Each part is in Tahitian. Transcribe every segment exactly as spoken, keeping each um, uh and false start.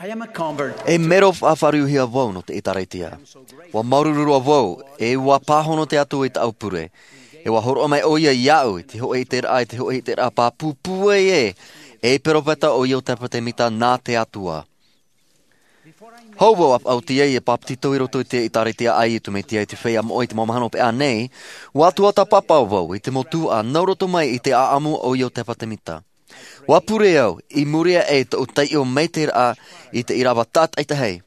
E mero faʻaruhia vau nō te ʻĒtārētia. Ua māuruuru roa vau, e ua pāhono te Atua i tāʻu pure. E ua hōroʻa mai ʻo ia iāʻu i te hōʻē ʻiteraʻa, i te hōʻē ʻiteraʻa pāpū pūai ē, e peropheta ʻo Iotefa Semita nā te Atua. Hou vau a faʻaoti ai e pāpetito i roto i te ʻĒtārētia a Iesu Mesia i te feiā moʻa i te mau mahana hopeʻa nei, ua tuatāpapa vau i te mau tuhaʻa nō roto mai i te ʻāʻamu o Iotefa Semita. Ua pure au, i muri aʻe i tōʻu taiʻo maitaʻiraʻa i te ʻīrava tātaʻitahi.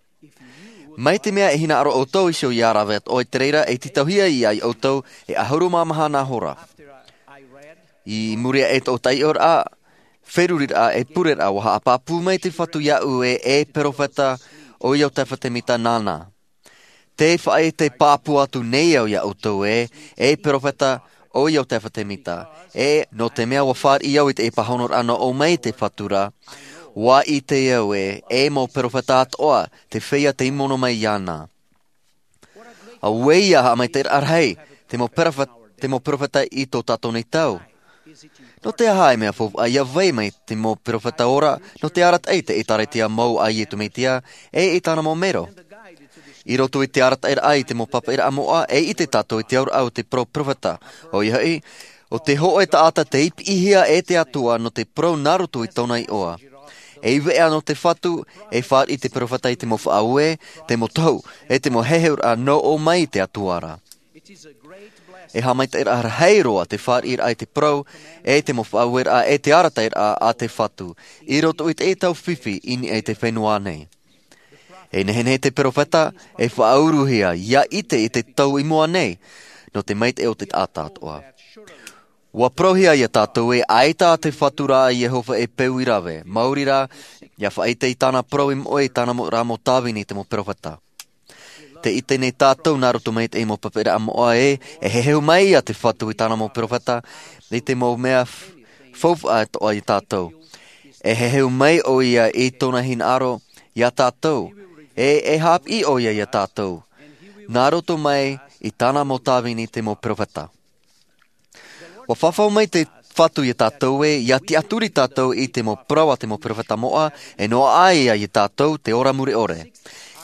Mai te mea e hinaʻaro ʻoutou iho ia rave atoʻa i te reira, e tītauhia ia ʻoutou e ʻahuru mā maha nā hora. I muri aʻe i tōʻu taiʻoraʻa, feruriraʻa, e pureraʻa, ua haʻapāpū mai te Fatu iāʻu ē, e peropheta ʻo Iotefa Semita nāna. Tē faʻaʻite pāpū atu nei au iā ʻoutou ē, e peropheta ʻo Iotefa Semita, e nō te mea ua fāriʻi au i te pāhonoraʻa nō ʻō mai te Fatu ra, ua ʻite au ē, e mau peropheta atoʻa te feiā tei mono mai iāna. Auē ia haʻamaitaʻiraʻa rahi te mau peropheta, te mau peropheta i tō tātou nei tau. Nō te aha e mea faufaʻa ia vai mai te mau peropheta ora, nō te arataʻi i te ʻĒtārētia mau a Iesu Mesia, e i tāna mau mero. I roto i te arataʻiraʻa i te mau papaʻiraʻa moʻa, e ʻite tātou i te auraʻa o te parau peropheta. ʻOia hoʻi, ʻo te hōʻē taʻata tei piʻihia e te Atua nō te parau nā roto i tōna iʻoa. E veʻa nō te Fatu, e fāriʻi te peropheta i te mau faʻaue, te mau tohu, e te mau heheuraʻa nō ʻō mai i te Atua ra. E haʻamaitaʻiraʻa rahi roa te fāriʻiraʻa i te parau, e te mau faʻaueraʻa, e te arataʻiraʻa a te Fatu, i roto i te tau fifi i niʻa i te fenua nei. E nehenehe te peropheta, e faʻauruhia, ia ʻite i te tau i mua nei, nō te maitaʻi o te taʻata atoʻa. Ua parauhia iā tātou ē ʻaita te Fatu ra a Iehova e peu i rave, maori rā, ia faʻaʻite i tāna parau i moʻe i tāna mau, rā mau tāvini te mau peropheta. Tē ʻite nei tātou nā roto mai i te mau papaʻiraʻa moʻa ē, e heheu mai ia te Fatu i tāna mau peropheta, i te mau mea f-, faufaʻa atoʻa iā tātou. E heheu mai ʻo ia i tōna hinaʻaro iā tātou, e, e haʻapiʻi ʻo ia iā tātou. Nā roto mai i tāna mau tāvini te mau peropheta. Ua fafau mai te Fatu iā tātou ē, ia tiʻaturi tātou i te mau parau a te mau peropheta moʻa, e noaʻa ia iā tātou te ora mure ʻore.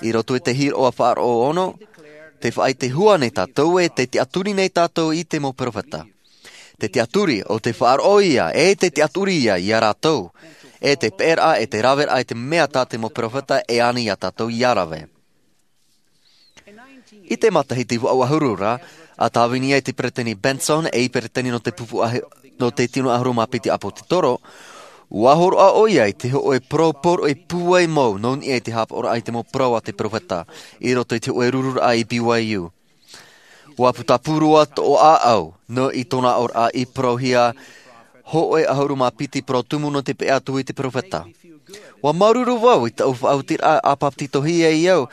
I roto i te hīroʻa faʻaroʻo ono, tē faʻaʻite hua nei tātou ē, tē tiʻaturi nei tātou i te mau peropheta. Te tiʻaturi, ʻo te faʻaroʻo ia, e te tiʻaturi ia iā rātou, e te peʻeraʻa, e te raveraʻa i te mea tā te mau peropheta e ani iā tātou ia rave. I te matahiti vaʻu ʻahuru ra, a tāvini ai te Peresideni Benson ei peresideni nō te pupu ʻahi-, nō te tino ʻahuru mā piti ʻāpōsetolo, ua hōroʻa ʻo ia i te hōʻē parau poroʻi pūai mau nō niʻa i te haʻapaʻoraʻa i te mau parau a te peropheta, i roto i te hōʻē rururaʻa i B Y U. Ua putapū roa tōʻu ʻāʻau, nō i tōna aʻoraʻa i parauhia hōʻē ʻahuru mā piti parau tumu nō te peʻe atu i te peropheta. Ua māuruuru vau i tāʻu faʻaotiraʻa a pāpetitohia ai au,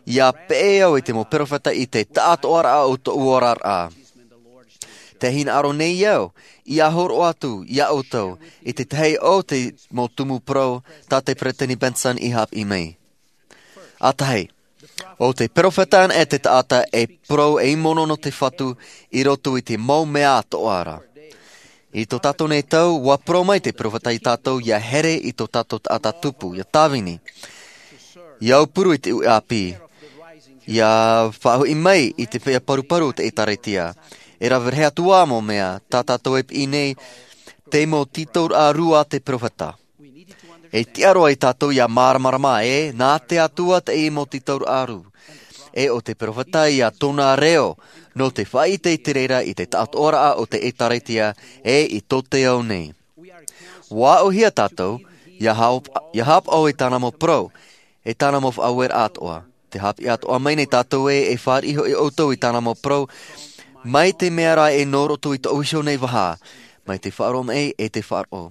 ia peʻe au i te mau peropheta i te taʻatoʻaraʻa o tōʻu oraraʻa. Tē hinaʻaro nei au, ia hōroʻa atu iā ʻoutou, i te tahi o te mau tumu parau, tā te Peresideni Benson i haʻapiʻi mai. ʻA tahi, ʻo te peropheta anaʻe te taʻata e parau ei mono nō te Fatu i roto i te mau mea atoʻa ra. I tō tātou nei tau, ua parau mai te peropheta iā tātou ia here i tō tātou taʻata tupu, ia tāvini. Ia aupuru i te uʻi ʻāpī. Ia faʻahoʻi mai i te feiā paruparu o te ʻĒtārētia. E rave rahi atu ā mau mea, tā tātou e piʻi nei, te mau tītauraʻa rū a te peropheta. E tiʻa roa ia tātou ia māramarama ē, nā te Atua teie mau tītauraʻa rū. E ʻo te peropheta ia tōna reo, nō te faʻaʻite i te reira i te taʻatoʻaraʻa o te ʻĒtārētia, e i tō te ao nei. Ua aʻohia tātou, ia haʻap-, ia haʻapaʻo i tāna mau parau, e tāna mau faʻaueraʻa atoʻa. Tē haʻapiʻi atoʻa mai nei tātou ē, e fāriʻi hoʻi ʻoutou i tāna mau parau, mai te mea rā e nō roto i tōʻu iho nei vaha, mai te faʻaroʻo mai e te faʻaroʻo.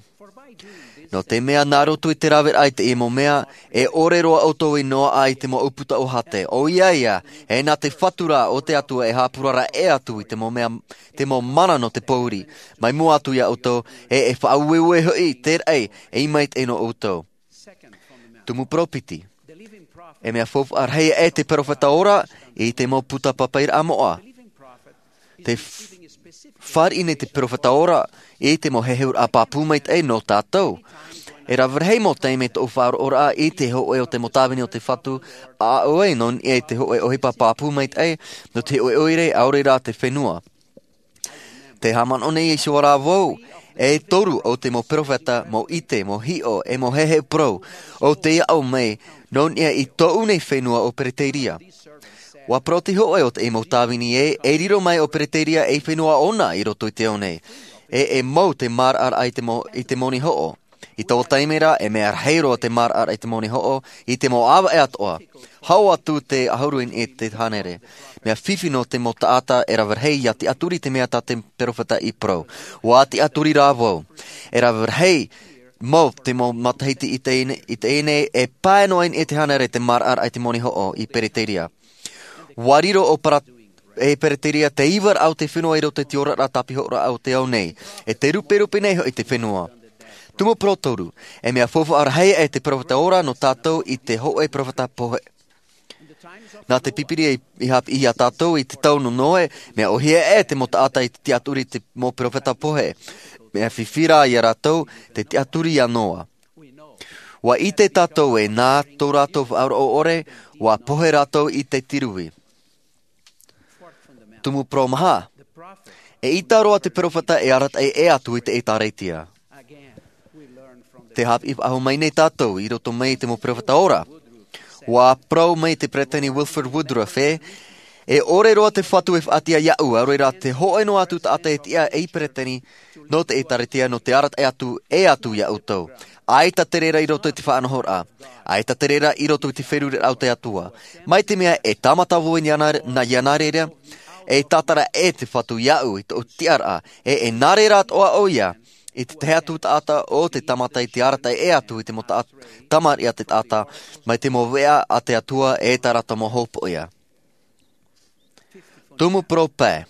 Nō te mea nā roto i te raveraʻa i teie mau mea, e ʻore roa ʻoutou i noaʻa i te mau ʻūputa ʻōhāte, ʻoia ia, e nā te Fatu rā o te Atua e haʻapurara ʻē atu i te mau mea, te mau mana nō te pōuri, mai mua atu ia ʻoutou, e, e faʻaueue hoʻi te raʻi, e i maitaʻi nō ʻoutou. Tumu parau piti. E mea faufaʻa rahi aʻe te peropheta ora i te mau puta papaʻiraʻa moʻa. Tē f-, fāriʻi nei te peropheta ora i te mau heheuraʻa pāpū maitaʻi nō tātou. E rave rahi mau taime tōʻu faʻaroʻoraʻa i te hoʻe o te mau tāvini o te Fatu, a ʻoe nō niʻa i te hoʻe ʻohipa pāpū maitaʻi, nō te hoʻe ʻoire, ʻaore rā te fenua. Te haʻamanaʻo nei Iēsu rā vau, e toru o te mau perofeta, mau ʻite, mau hiʻo, e mau heheu parau, ʻo tei aʻo mai, nō niʻa i tōʻu nei fenua ʻo Pereteria. ʻUa parau te hoʻe o te mau tāvini ē, e riro mai ʻo Pereteria ei fenua ʻona i roto i te ao nei. E, e mau te maraʻaraʻa i te mau, i te moni hoʻo. I taua taime ra, e mea rahi roa te maraʻaraʻa i te moni hoʻo, i te mau ʻāvaʻe atoʻa. Hau atu te ʻahuru i niʻa i te hānere. Mea fifi nō te mau taʻata e rave rahi ʻia tiʻaturi i te mea tā te perofeta i parau. ʻUa tiʻaturi rā vau. E rave rahi mau te mau matahiti i teie nei, i teie nei, e pae noa i niʻa i te hānere te maraʻaraʻa i te moni hoʻo i Pereteria. ʻUa riro ʻo Para-, e Pereteria te ivaraʻa o te fenua i roto i te oraraʻa tāpihoraʻa o te ao nei. E te ruperupe nei hoʻi te fenua. Tumu parau toru, e mea faufaʻa rahi e te perofeta ora nō tātou i te hoʻe perofeta pohe. Nā te Pīpīria i, i haʻapiʻi ia tātou i te tau nō Noe, mea ʻōhie e te mau taʻata i te tiʻaturi i te mau perofeta pohe. Mea fifi rā ia rātou te tiʻaturi ia Noa. ʻUa ʻite tātou ē nā tō rātou faʻaroʻo ʻore, ʻua pohe rātou i te tirui. Tumu parau maha. E ʻita roa te perofeta e arataʻi ʻē atu i te ʻĒtārētia. Te haʻapiʻi faʻahou mai nei tātou i roto mai i te mau perofeta ora. ʻUa parau mai te Peresideni Wilford Woodruff ē, e ʻore roa te Fatu e faʻatiʻa iaʻu, ʻaore rā te hoʻe noa atu taʻata e tiʻa ei Peresideni nō te ʻĒtārētia nō te arataʻi atu, ʻē atu ia ʻoutou. ʻAita te reira i roto i te faʻanahoraʻa. ʻAita te reira i roto i te feruriraʻa o te Atua. Mai te mea e tāmata vau i niʻa, nā, nā, ia nā reira, e tātara ʻē te Fatu iaʻu i tōʻu tiʻaraʻa, e, e nā reira atoʻa ʻoia, i te tahi atu taʻata o te tāmata i te arataʻi ʻē atu i te mau taʻa-, tamariʻi a te taʻata, mai te mau veʻa a te Atua e tā rātou mau hopoiʻa. Tumu parau pae.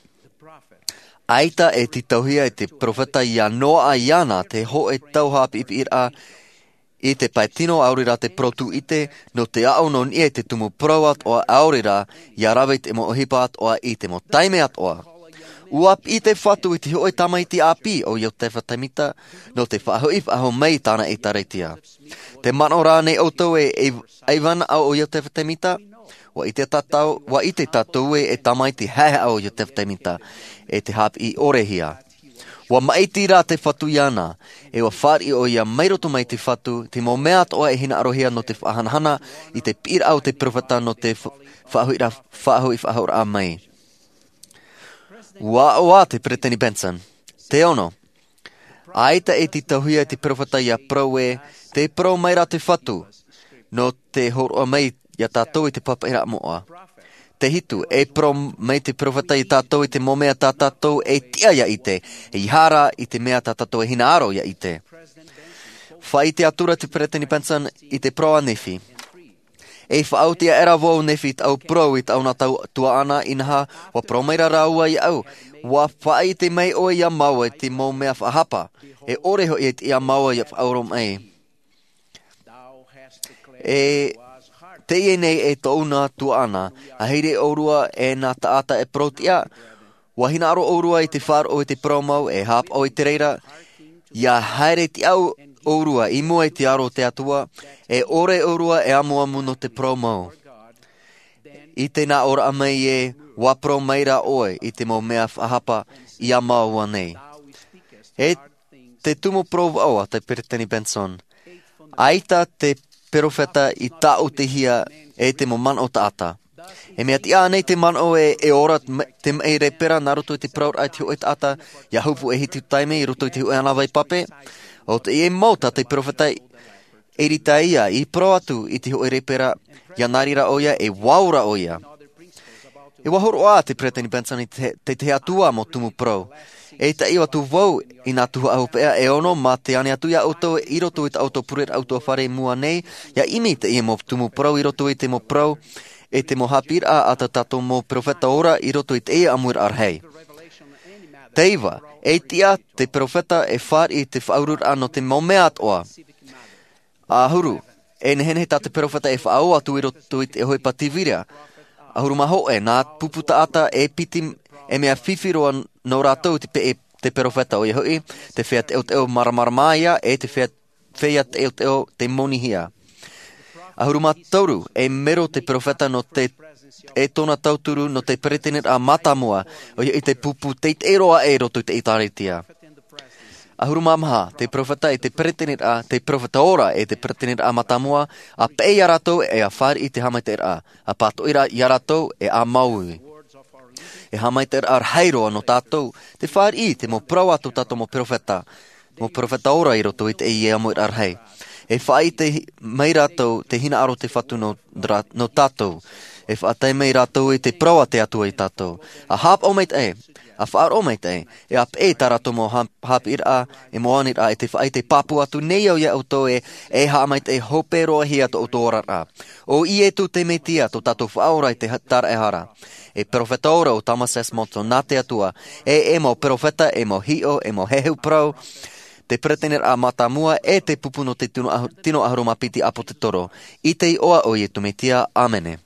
ʻAita e tītauhia e te perofeta ia Noa iāna te hoʻe tau haʻapiʻipiʻiraʻa i te pae tino ʻaore rā te parau tūʻite, nō te aʻo nō niʻa i te tumu parau atoʻa ʻaore rā, ia rave i te mau ʻohipa atoʻa i te mau taime atoʻa. ʻUa piʻi te Fatu i te hoʻe tamaiti ʻāpī ʻo Iotefa Temita, nō te faʻahoʻi faʻahou mai i tāna ʻĒtārētia. Te manaʻo rā nei ʻoutou e, e, e vānaʻo ʻo Iotefa Temita, ʻua ʻite tātou, ʻua ʻite tātou ē e tamaiti haʻehaʻa ʻo Iotefa Temita, e te haʻapiʻi ʻore hia. ʻUa maʻiti rā te Fatu iāna, e ʻua fāriʻi ʻoia mai roto mai te Fatu, te mau mea atoʻa e hinaʻarohia nō te faʻahanahana, i te piʻiraʻa o te perofeta nō te fa-, faʻahoʻi ra-, faʻahoʻi faʻahoʻiraʻa mai. ʻUa aʻo ā te Peresideni Benson. Te ono. ʻAita e tītauhia e te perofeta ia parau ē, te parau mai rā te Fatu, nō te hōroʻa mai ia tātou i te papaʻiraʻa moʻa. Te hitu, e parau mai te perofeta ia tātou i te mau mea tā tātou e tiʻa ia ʻite, ʻeiaha rā i te mea tā tātou e hinaʻaro ia ʻite. Faʻaʻite atu ra te Peresideni Benson i te parau a Nephi. E faʻaoti aʻera vau Nephi i taʻu parau i tāʻu nā tau tuaʻana, inaha, ʻua parau mai rā rāua iāʻu, ʻua faʻaʻite mai ʻoe ia māua i te mau mea faʻahapa, e ʻore hoʻi e tiʻa māua ia faʻaora mai. E teie nei e tōʻu nā tuaʻana, ʻa haere ʻōrua e nā taʻata e parau tiʻa, ʻua hinaʻaro ʻōrua i te faʻaroʻo i te parau mau, e haʻapaʻo i te reira, ʻia haere tiʻa ʻōrua i mua i te aro o te Atua, e ʻore ʻōrua e amuamu nō te parau mau. I te nā ʻōraʻa mai ē, ʻua parau mai rā ʻoe i te mau mea faʻahapa ia māua nei. E te tumu parau vaʻu a te Peresideni Benson. ʻAita te perofeta i tāʻutihia e te mau manaʻo taʻata. E mea tiʻa nei te manaʻo ē, e ora te ma-, te maʻi rēpera nā roto i te parauraʻa i te hōʻē taʻata, ʻia hopu e hitu taime i roto i te hōʻē ʻānāvai pape. ʻO teie mau tā te perofeta Eritaia i parau atu i te hōʻē rēpera, ʻia nā reira ʻoia e vau ra ʻoia. E ʻua hōroʻa te Peresideni Benson i te, te, te Atua mau tumu parau. E taʻi atu vau i nā tuhaʻa hopeʻa e ono mā te ani atu ia ʻoutou i roto i tā ʻoutou pureraʻa ʻutuāfare i mua nei, ʻia ʻimi i teie mau tumu parau i roto i te mau parau, e te mau haʻapiʻiraʻa a tā tātou mau perofeta ora i roto i teie ʻāmuiraʻa rahi. Te iva, e tiʻa te perofeta e fāriʻi i te faʻaururaʻa nō te mau mea atoʻa. ʻAhuru, e nehenehe tā te perofeta e faʻaō atu i roto i te ʻohipa tīvira. ʻAhuru mā hōʻē, nā pupu taʻata e piti, e mea fifi roa nō rātou te pe-, te perofeta ʻoia hoʻi, te feiā teʻoteʻo māramarama ia, e te feiā feiā teʻoteʻo te monihia. ʻAhuru mā toru, e mero te peropheta nō te e tōna tauturu nō te peresideni mātāmua, ʻoia i te pupu teitei roa i roto i te ʻĒtārētia. ʻAhuru mā maha, te peropheta e te peresideni, te peropheta ora e te peresideni mātāmua, a peʻe iā rātou e a fāriʻi te haʻamaitaʻiraʻa, a pātoʻi iā rātou e a māuiui. E haʻamaitaʻiraʻa rahi roa nō tātou, te fāriʻi te mau parau a tō tātou mau peropheta, mau peropheta ora i roto i te ia mau rahi. E faʻaʻite mai rātou te hinaʻaro te Fatu nō rā-, nō tātou. E faʻatae mai rātou i te parau a te Atua iā tātou. A haʻapaʻo maitaʻi, a faʻaroʻo maitaʻi, e a peʻe tā rātou mau hā-, haʻapiʻiraʻa, e mau aniraʻa, e te faʻaʻite pāpū atu nei au iā ʻoutou e, e haʻamaitaʻi hope roa hia tō ʻoutou oraraʻa. ʻO Iesu te Mesia, tō tātou Faʻaora i te ha-, tāraʻehara. E peropheta ora ʻo Thomas S. Monson nā te Atua, e, e mau peropheta, e mau hiʻo, e mau heheʻu parau, te peresideni mātāmua, e te pupu nō te tino ʻahu-, tino ʻahuru mā piti ʻāpōsetolo. I te iʻoa o Iesu Mesia, ʻāmene.